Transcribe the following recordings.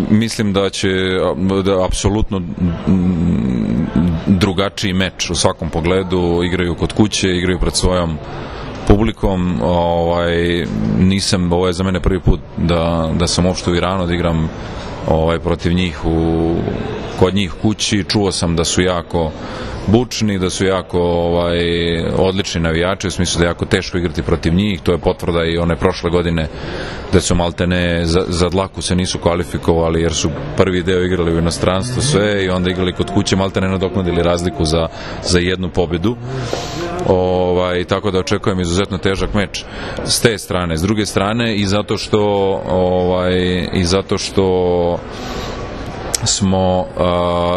Mislim da će apsolutno drugačiji meč u svakom pogledu, igraju kod kuće, igraju pred svojom publikom. Ovo je za mene prvi put da sam uopšte u Iranu, da igram protiv njih kod njih kući. Čuo sam da su jako bučni, da su jako odlični navijači, u smislu da je jako teško igrati protiv njih. To je potvrda i one prošle godine da su maltene za dlaku se nisu kvalifikovali jer su prvi deo igrali u inostranstvu sve i onda igrali kod kuće, maltene nadoknadili razliku za jednu pobedu. Tako da očekujem izuzetno težak meč s te strane. S druge strane i zato što smo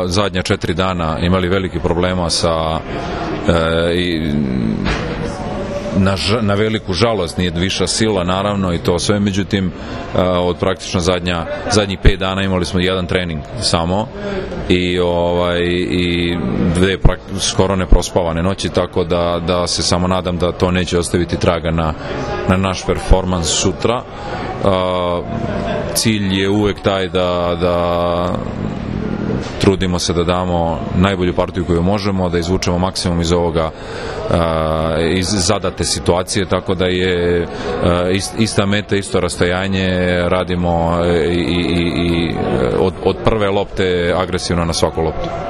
zadnja 4 dana imali veliki problema na veliku žalost, nije viša sila naravno i to sve, međutim od praktično zadnjih 5 dana imali smo jedan trening samo i dve skoro neprospavane noći, tako da se samo nadam da to neće ostaviti traga na naš performans sutra. Cilj je uvek taj da trudimo se da damo najbolju partiju koju možemo, da izvučemo maksimum iz ovoga, iz zadate situacije, tako da je ista meta, isto rastojanje, radimo i od prve lopte agresivno na svaku loptu.